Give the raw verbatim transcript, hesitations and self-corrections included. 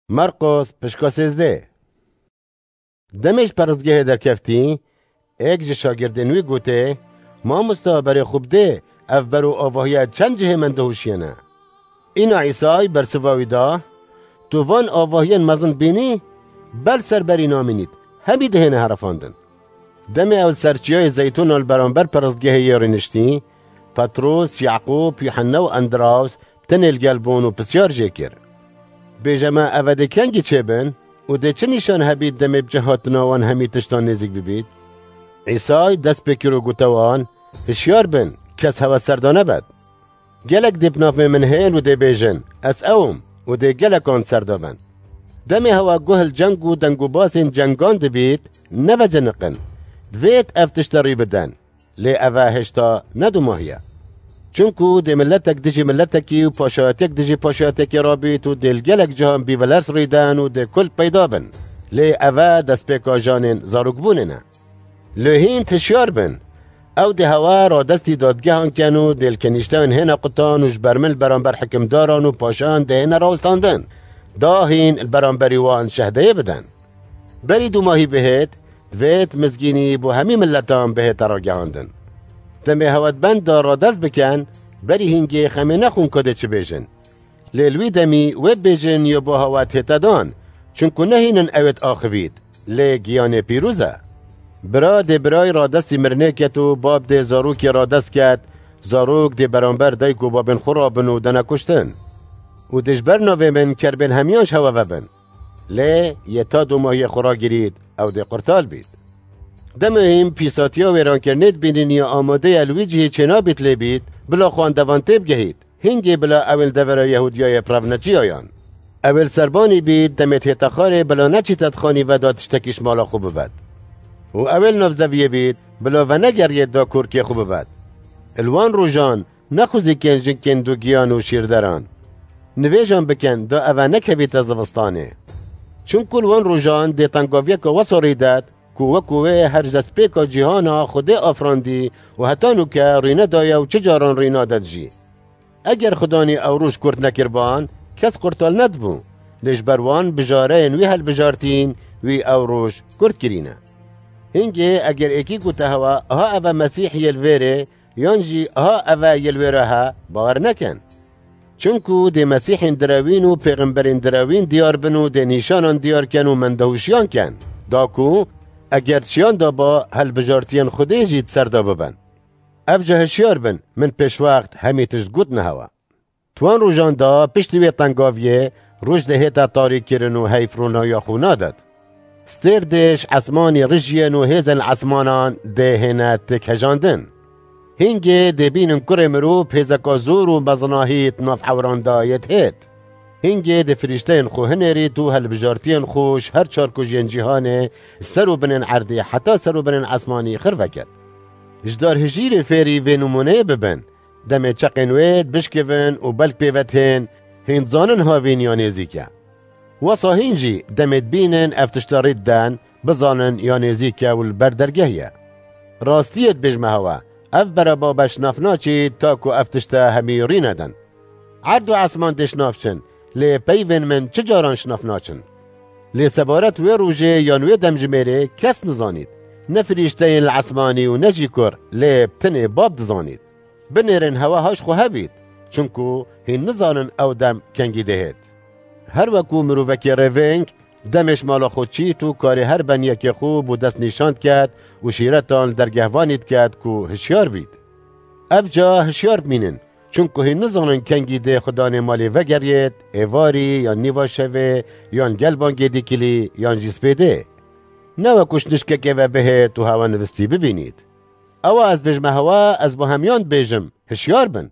Marqos, pişka sêzdeh. Demê ji peristgehê derkeftî, êk ji şagirdên wî gotê, Mamosta, berê xwe bidê, ev ber û avahiya çend cihê min dihuşiyene. Îna Îsay bersiva wî da, Tu van avahiyên mezin bînî, ber ser berî namînît, hemî dihêne herifandin. Demê ew li ser çiyayê Zeytûna li beramber peristgehê yê rûniştî, Petros, Yaqûb, Yuhanna û Endraws tenê li gel bûn û pisyar jê kir, Bêje me, eve dê kengî çêbin û dê çi nîşan hebît demê bi cih hatina wan hemî tiştan nêzîk bibît? Îsay dest pê kir û gote wan, Hişyar bin, kes hewe ser da nebet. Gelek dê bi navê min hên û dê bêjin, Ez ew im, û dê gelekan ser da bin. Demê hewa guh li ceng û dengûbasên cengan dibît, neveciniqin. Divêt ev tişte rî bidin. Lê eve hêşta ne dumahî ye. Çunku dê miletek dijî miletekî û paşayetek dijî paşayetekê rabît û dê li gelek cihan bîvelers rîden û dê kul peyda bin. Lê eve destpêka janên zarokbûnê ne. Lê hîn hişyar bin. Ew dê hewe radestî dadgehan ken û dê li kenîşteyên hêne qutan û ji ber min li beramber hikimdaran û paşayan dê hêne rawestandin. Da hîn li beramberî wan şehdeyê bidin. Berî dumahî bihêt, divêt mizgînî bo hemî miletan bihête ragihandin. Demê hewe di benda radest bikin, berî hîngê xemê nexwin ku dê çi bêjin. Lê li wî demî wê bêjin ya bo hewe dihête dan, çunku ne hîn in ewêt axivît, lê giyanê pîroz e. Bira dê birayî radestî mirinê ket û bab dê zarokê radest ket, zarok dê beramber dayik û babên xwe rabin û dene kuştin. Û dê ji ber navê min kerbên hemiyan ji hewe vebin. Lê yê ta dumahiyê xwe ragirît, ew dê qurtal bît. Demê hîn pîsatiya wêrankirinê dibînin ya amade ye li wî cihê çênabît lê bît, bila xwendevan têbigehît, hingê bila ewên devera Yehûdiyayê bi rev neciyayan. Ewê li serbanî bît, demê dihête xarê bila neçîte di xanî ve da tiştekî ji mala xwe bibet. Û ewê li nav zeviyê bît, bila venegeriyêt da kûrkê xwe bibet. Li wan rojan nexwizîkin jinkên dugiyan û şîrderan. Nivêjan bikin da eve nekevîte zivistanê. Çunku li wan rojan dê tengaviyeke wesa rîdet ku wekû wê her ji destpêka cîhana Xwedê afirandî û heta nûke rî nedaye û çi caran rî nadet jî. Eger Xudanî ew roj kurt nekiriban, kes qurtal nedibû. Lê ji ber wan bijareyên wî hilbijartîn, wî ew roj kurt kirîne. Hingê eger êkî gote hewe, aha eve Mesîh yê li vêrê, yan jî aha eve yê li wêra he, bawer nekin. Çunku dê Mesîhên direwîn û pêxemberên direwîn diyar bin û dê nîşanan diyar ken û mendehûşiyan ken, da ku eger şiyan da ba, hilbijartiyên Xwedê jî di ser de bibin. Ev ca hişyar bin, min pêşwext hemî tişt gotine hewe. Di wan rojan de piştî wê tengaviyê, roj dihête tarîkirin û heyf ronahiya xwe nadet. Stêr dê ji esmanî rijiyên û hêzên esmanan dê hêne têkhejandin. Hingê dê bînin kurê mirov hêzeka zor û mezinahî di nav ewran de yê dihêt. Hingê dê firîşteyên xwe hinêrît û hilbijartiyên xwe ji her çar kujiyên cîhanê, ser û binên erdê heta ser û binên esmanî xirveket. Ji dar hijîrê fêrî vê nimûneyê bibin, demê çeqên wê dibişkivin û belk pê ve dihên, hîn dizanin havîn ya nêzîk e. Wesa hîn jî demê dibînin ev tişta rî diden, bizanin ya nêzîk e û li ber dergeh ye. Rastiyê dibêjme hewe, ev bereba be ji nav naçî ta ku ev tişte hemî rî nedin. Erd û esman dê ji nav çin, lê peyvên min çi caran ji nav naçin. Lê sebaret wê rojê yan wê demjimêrê kes nizanît. Ne firîşteyên li esmanî û ne jî kur, lê bi tenê Bab dizanît. Binêrin hewe ha ji xwe hebît, çunku hîn nizanin ew dem kengî dihêt. Her wekû mirovekê rêveng, demê ji mala xwe çît û karê her beniyekê xwe bo dest nîşan diket û şîretan li dergehvanî diket ku hişyar bît. Ev ca hişyar bimînin, çunku hîn nizanin kengî dê Xudanê malê vegeriyêt, êvarî yan nîva şevê, yan gel bangê dîkilî, yan jî spêdê. Ne wekû ji nişkekê ve bihêt û hewe nivistî bibînît. Ewa ez bêjme hewa, ez bo hemiyan dibêjim, hişyar bin.